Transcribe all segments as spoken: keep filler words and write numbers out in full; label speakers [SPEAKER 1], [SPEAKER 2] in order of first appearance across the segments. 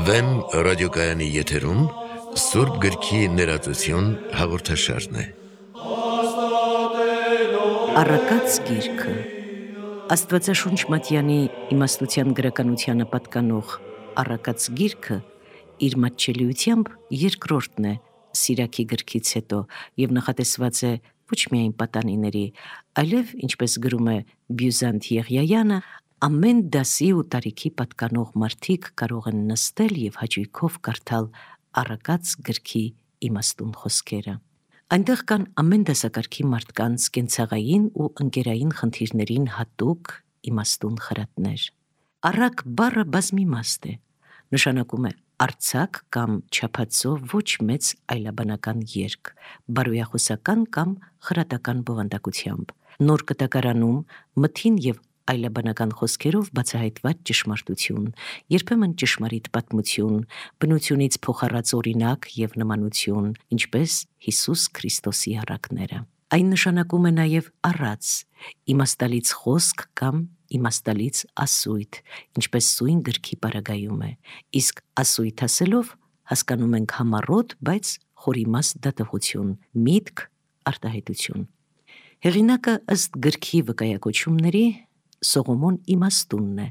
[SPEAKER 1] Վեմ ռադիոկայանի եթերում Սուրբ գրքի ներածություն հաղորդաշարն է։
[SPEAKER 2] Առակաց գիրքը Աստվածաշունչ Մատյանի իմաստության գրականությանը պատկանող Առակաց գիրքը իր մատչելիությամբ երկրորդն է Սիրաքի գրքից հետո և նախատեսված է ոչ միայն պատանիների, այլև, ինչպես գրում է Բյուզանտ Եղիայանը, ամեն դասի ու տարիքի պատկանող մարդիկ կարող են նստել և հաճույքով կարդալ Առակաց գրքի իմաստուն խոսքերը։ Այնտեղ կան ամեն դասակարգի մարդկանց կենցաղային ու ընկերային խնդիրներին հատուկ իմաստուն խրատներ։ Առակ բառը բազմիմաստ է, նշանակում է արձակ կամ չափածո ոչ մեծ այլաբանական երգ, բարոյախոսական կամ խրատական բովանդակությամբ, նոր կտակարանում մթին և այլաբանական խոսքերով բացահայտված ճշմարտություն, երբեմն ճշմարիտ պատմություն, բնությունից փոխառած օրինակ և նմանություն, ինչպես Հիսուս Քրիստոսի առակները։ Այն նշանակում է նաև առած, իմաստալից խոսք կամ իմաստալից ասույթ, ինչպես սույն գրքի պարագայում է, իսկ ասույթ ասելով հասկանում ենք համառոտ, բայց խորիմաստ դատողություն, միտք, արտահայտություն։ Հեղինակը ըստ գրքի վկայակոչումների Սողոմոն իմաստունն է։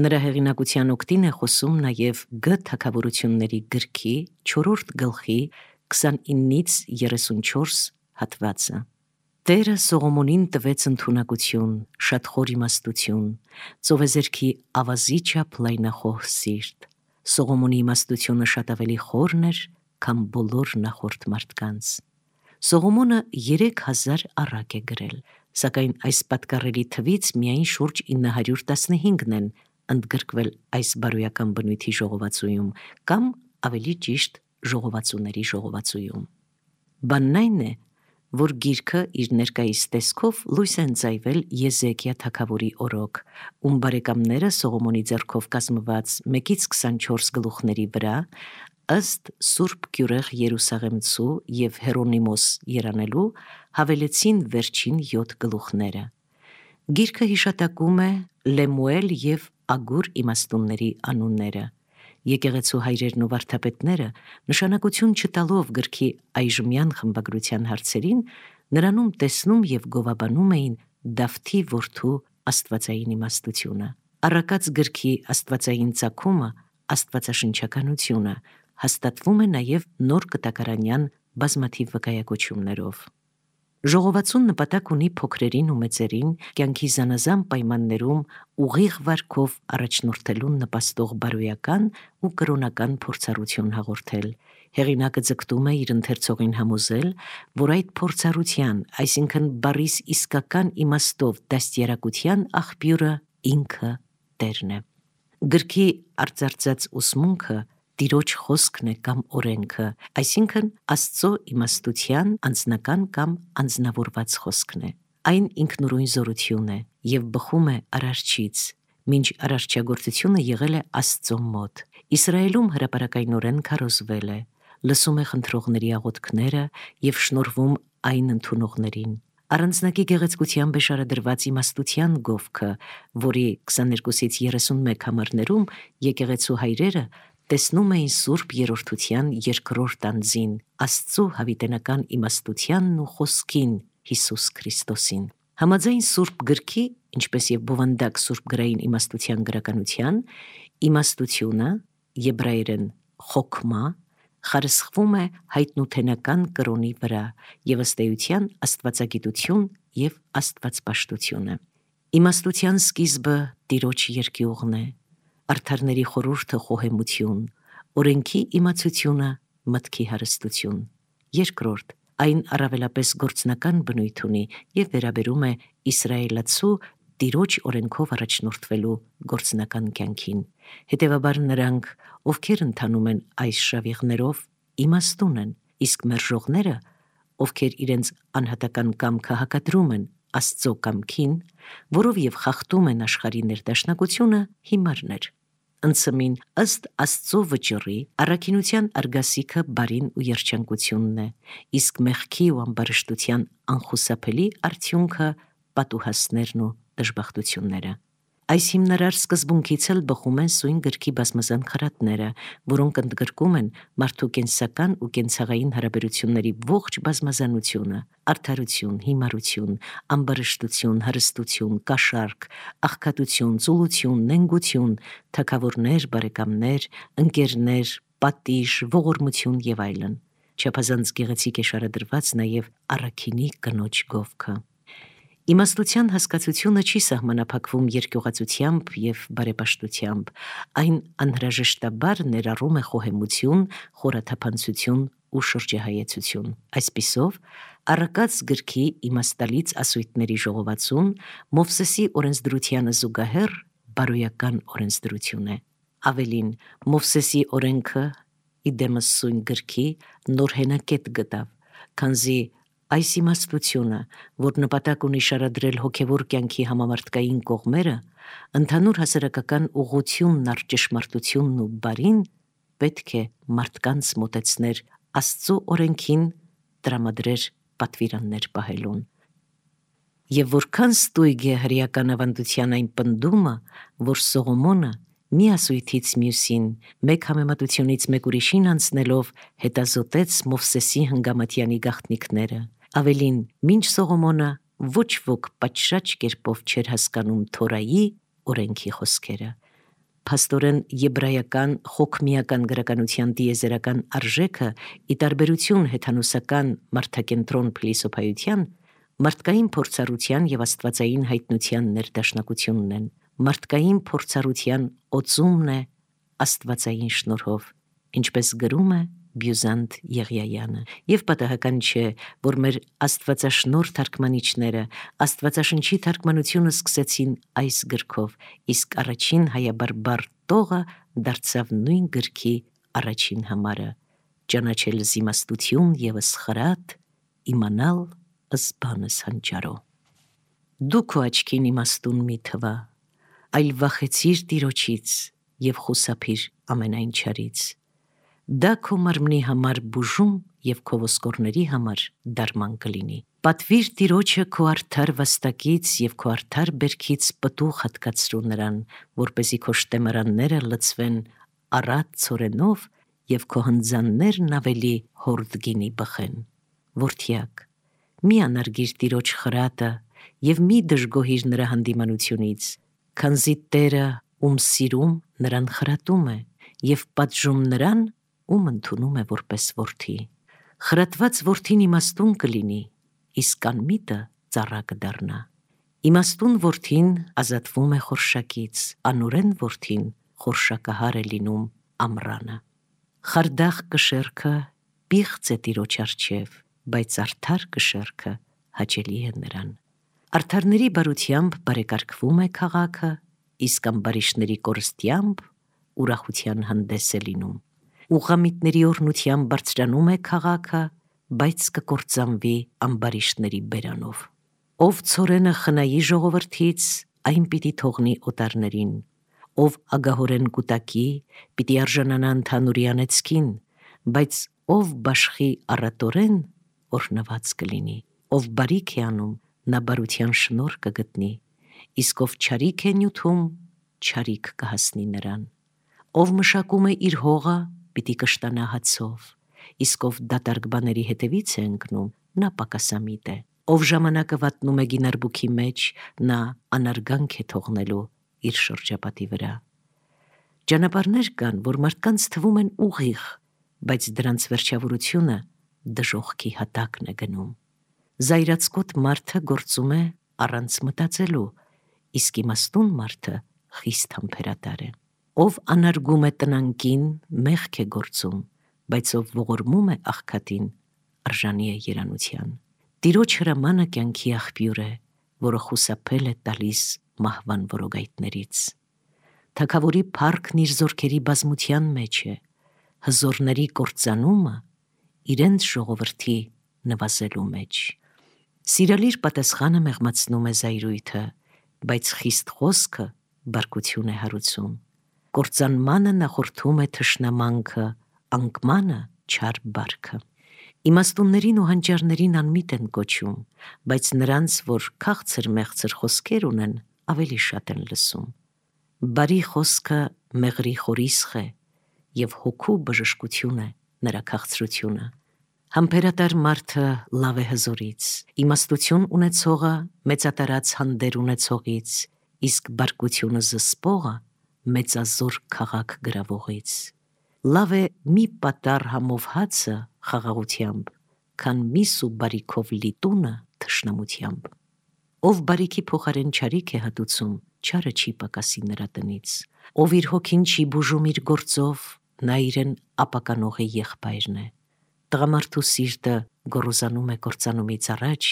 [SPEAKER 2] Նրա հեղինակության օգտին է խոսում նաև Գ թագավորությունների գրքի չորրորդ գլխի քսանինից երեսունչորս հատվածը։ Տերը Սողոմոնին տվեց ընդունակություն, շատ խոր իմաստություն, ծովեզերքի ավազի չափ լայնախոհ սիրտ։ Սողոմոնի իմաստությունը շատ ավելի խորն էր, քան բոլոր նախորդ մարդկանց։ Սողոմոնը երեք հազար առակ է գրել, սակայն այս պատկառելի թվից միայն շուրջ ինը հարյուր տասնհինգն են ընդգրկվել այս բարոյական բնույթի ժողովածուում կամ ավելի ճիշտ ժողովածուների ժողովածուում։ Բանն այն է, որ գիրքը իր ներկայիս տեսքով լույս է ընծայվել Եզեկիա թագավորի օրոք, ում բարեկամները Սողոմոնի ձեռքով կազմված մեկից քսանչորս գլուխների վրա, ըստ Սուրբ Գյուրեղ Երուսաղեմցու և Հերոնիմոս երանելու, հավելեցին վերջին յոթ գլուխները։ Գիրքը հիշատակում է Լեմուել և Ագուր իմաստունների անունները։ Եկեղեցու հայրերն ու վարդապետները, նշանակություն չտալով գրքի այժմյան խմբագրության հարցերին, նրանում տեսնում և գովաբանում էին Դավթի որդու աստվածային իմաստությունը։ Առակաց գրքի աստվածային ծագումը, աստվածաշնչականությունը, հաստատվում է նաև նոր կտակարանյան բազմաթիվ վկայակոչումներով։ Ժողովածուն նպատակ ունի փոքրերին ու մեծերին կյանքի զանազան պայմաններում ուղիղ վարքով առաջնորդելուն նպաստող բարոյական ու կրոնական փորձառություն հաղորդել։ Հեղինակը ձգտում է իր ընթերցողին համոզել, որ այդ փորձառության, այսինքն բառիս իսկական իմաստով դաստիարակության աղբյուրը ինքը Տերն է։ Գրքի արծարծած ուսմունքը Տիրոջ խոսքն է կամ օրենքը, այսինքն Աստծո իմաստության անձնական կամ անձնավորված խոսքն է։ Այն ինքնուրույն զորություն է և բխում է Արարչից, մինչ արարչագործությունը եղել է Աստծո մոտ։ Իսրայելում հրապարակայնորեն քարոզվել է, լսում է խնդրողների աղոթքները և շնորհվում այն ընդունողներին։ Առանձնակի գեղեցկությամբ է շարադրված իմաստության գովքը, որի քսաներկուսից երեսունմեկ համարներում եկեղեցու հայրերը տեսնում էին Սուրբ Երրորդության երկրորդ անձին, Աստծո հավիտենական իմաստությանն ու խոսքին, Հիսուս Քրիստոսին։ Համաձայն Սուրբ գրքի, ինչպես և բովանդակ սուրբգրային իմաստության գրականության, իմաստությունը, եբրայերեն խոքմա, խարսխվում է հայտնութենական կրոնի վրա և ըստ էության աստվածագիտություն և աստվածպաշտությունը։ Իմաստության սկիզբը Տիրոջ երկյուղն է, արդարների խորհուրդը խոհեմություն, օրենքի իմացությունը մտքի հարստություն։ Երկրորդ, այն առավելապես գործնական բնույթ ունի և վերաբերում է իսրայելացու Տիրոջ օրենքով առաջնորդվելու գործնական կյանքին։ Հետևաբար նրանք, ովքեր ընթանում են այս շավիղներով, իմաստուն են, իսկ մերժողները, ովքեր իրենց անհատական կամքը հակադրում են Աստծո կամքին, որով և խախտում են աշխարհի ներդաշնակությունը, հիմարներ։ Ընցմին ըստ Աստծո վճռի առաքինության արգասիքը բարին ու երջանկությունն է, իսկ մեղքի ու ամբարշտության անխուսափելի արդյունքը պատուհասներն ու դժբախտությունները։ Այս հիմնարար սկզբունքից էլ բխում են սույն գրքի բազմազան խրատները, որոնք ընդգրկում են մարդու կենսական ու կենցաղային հարաբերությունների ողջ բազմազանությունը՝ արդարություն, հիմարություն, ամբարշտություն, հարստություն, կաշառք, աղքատություն, ծուլություն, նենգություն, թագավորներ, բարեկամներ, ընկերներ, պատիժ, ողորմություն եւ այլն։ Չափազանց գեղեցիկ է շարադրված նաև առաքինի կնոջ գովքը։ Իմաստության հասկացությունը չի սահմանափակվում երկյուղածությամբ եւ բարեպաշտությամբ, այն անհրաժեշտաբար ներառում է խոհեմություն, խորաթափանցություն ու շրջահայեցություն։ Այսպիսով, Առակաց գրքի իմաստալից ասույթների ժողովածուն Մովսեսի օրենսդրությանը զուգահեռ բարոյական օրենսդրություն է։ Ավելին, Մովսեսի օրենքը իդեմս սույն գրքի նոր հենակետ գտավ, քանզի այս իմաստությունը, որ նպատակ ունի շարադրել հոգևոր կյանքի համամարտկային կողմերը, ընդհանուր հասարակական ուղղությունն առ ճշմարտությունն ու բարին, պետք է մարդկանց մոտեցներ Աստծո օրենքին, տրամադրեր պատվիրաններ պահելուն։ Եվ որքան ստույգ է հրեական ավանդության այն պնդումը, որ Սողոմոնը մի ասույթից մյուսին, մեկ համեմատությունից մեկ ուրիշին անցնելով հետազոտեց Մովսեսի հնգամատյանի գաղտնիքները։ Ավելին, մինչ Սողոմոնը ոչ ոք պատշաճ կերպով չէր հասկանում Թորայի օրենքի խոսքերը։ Փաստորեն եբրայական խոքմիական գրականության տիեզերական արժեքը ի տարբերություն հեթանոսական մարդակենտրոն փիլիսոփայության մարդկային փորձառության եւ աստվածային հայտնության ներդաշնակությունն են։ Մարդկային փորձառության օծումն է աստվածային շնորհով, ինչպես գրում է Բյուզանտ Եղիայանը, եւ պատահական չէ, որ մեր աստվածաշնորհ թարգմանիչները աստվածաշնչի թարգմանությունը սկսեցին այս գրքով, իսկ առաջին հայաբարբար տողը դարձավ նույն գրքի առաջին համարը՝ ճանաչել զիմաստություն եւս խրատ, իմանալ ըսբանս հանճարո։ Դու քո աչքին իմաստուն մի թվա, այլ վախեցիր Տիրոջից եւ խուսափիր ամենայն չարից։ Դա քո մարմնի համար բուժում եւ քո ոսկորների համար դարման կլինի։ Պատվիր Տիրոջը քո արդար վաստակից եւ քո արդար բերքից պտուղ հատկացրու նրան, որպեսզի քո շտեմարանները լցվեն առատ ցորենով եւ քո հնձաններն ավելի հորդ գինի բխեն։ Որդյակ, մի անարգիր Տիրոջ խրատը եւ մի դժգոհիր նրա հանդիմանությունից, քանզի Տերը ում սիրում նրան խրատում է եւ պատժում նրան, ում ընդունում է որպես որդի։ Խրատված որդին իմաստուն կլինի, իսկ անմիտը ծառա կդառնա։ Իմաստուն որդին ազատվում է խորշակից, անօրեն որդին խորշակահար է լինում ամռանը։ Խարդախ կշեռքը պիղծ է Տիրոջ առջև, բայց արդար կշեռքը հաճելի է նրան։ Արդարների բարությամբ բարեկարգվում է քաղաքը, իսկ ամբարիշտների կորստությամբ ուրախության հանդես է լինում։ Ուղղամիտների օրհնությամբ բարձրանում է քաղաքը, բայց կկործանվի ամբարիշտների բերանով։ Ով ցորենը խնայի ժողովրդից, այն պիտի թողնի օտարներին։ Ով ագահորեն կուտակի, պիտի արժանանա ընդհանուրի անեծքին, բայց ով բաշխի առատորեն, օրհնված կլինի։ Ով բարիք է անում, նա բարության շնորհ կգտնի, իսկ ով չարիք է նյութում, չարիք կհասնի նրան։ Ով մշակում է իր հողը, պիտի կշտանա հացով, իսկ ով դատարկ բաների հետևից է ընկնում, նա պակասամիտ է։ Ով ժամանակը վատնում է գինարբուքի մեջ, նա անարգանք է թողնելու իր շրջապատի վրա։ Ճանապարհներ կան, որ մարդկանց թվում են ուղիղ, բայց դրանց վերջավորությունը դժոխքի հատակն է գնում։ Զայրացկոտ մարդը գործում է առանց մտածելու, իսկ իմաստուն մարդը խիստ համբերատար է։ Ով անարգում է տնանկին, մեղք է գործում, բայց ով ողորմում է աղքատին, արժանի է երանության։ Տիրոջ հրամանը կյանքի աղբյուր է, որը խուսափել է տալիս մահվան որոգայթներից։ Թագավորի փառքն իր զորքերի բազմության մեջ է, հզորների կործանումը իրենց ժողովրդի նվազելու մեջ։ Սիրալիր պատասխանը մեղմացնում է զայրույթը, բայց խիստ խոսքը բարկություն է հարուցում։ Կործանմանը նախորդում է թշնամանքը, անկմանը չար բարքը։ Իմաստուններին ու հանճարներին անմիտ են կոչում, բայց նրանց, որ քաղցր-մեղցր խոսքեր ունեն, ավելի շատ են լսում։ Բարի խոսքը մեղրի խորիսխ է, և հոգու բժշկություն է նրա քաղցրությունը։ Համբերատար մարդը լավ է հզորից, իմաստություն ունեցողը մեծատարած հանդեր ունեցողից, իսկ բարկությունը զսպողը մեծազոր քաղաք գրավողից։ Լավ է մի պատառ համով հացը խաղաղությամբ, քան միս ու բարիքով լի տունը թշնամությամբ։ Ով բարիքի փոխարեն չարիք է հատուցում, չարը չի պակասի նրա տնից։ Ով իր հոգին չի բուժում իր գործով, նա իրեն ապականողի եղբայրն է։ Տղամարդու սիրտը գոռոզանում է կործանումից առաջ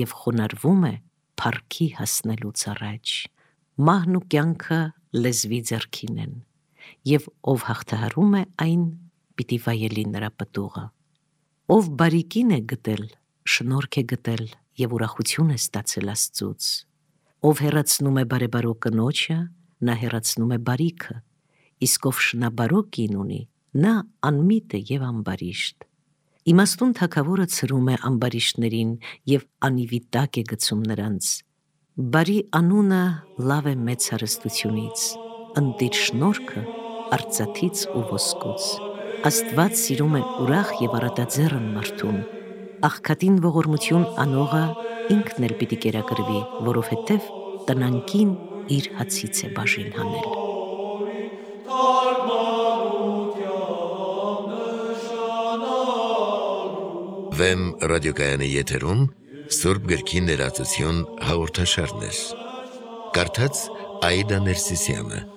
[SPEAKER 2] և խոնարհվում է փառքի հասնելուց առաջ։ Մահն ու կյանքը լեզվի ձեռքին են, և ով հաղթահարում է այն, պիտի վայելի նրա պտուղը։ Ով բարիքին է գտել, շնորհք է գտել և ուրախություն է ստացել Աստծուց։ Ով հեռացնում է բարեբարո կնոջը, նա հեռացնում է բարիքը, իսկ ով շնաբարո կին ունի, նա անմիտ է և ամբարիշտ։ Իմաստուն թագավորը ցրում է ամբարիշտներին և անիվի տակ է գցում նրանց։ Բարի անունը լավ է մեծ հարստությունից, ընտիր շնորհքը արծաթից ու ոսկուց։ Աստված սիրում է ուրախ և առատաձեռն մարդուն, աղքատին ողորմություն անողը ինքն էլ պիտի կերակրվի, որովհետև տնանկին իր հացից է բաժին հանել։
[SPEAKER 1] Վեմ ռադիոկայանի եթերում Սուրբ գրքի ներածություն հաղորդաշարներ։ Կարդաց Աիդա Ներսիսյանը։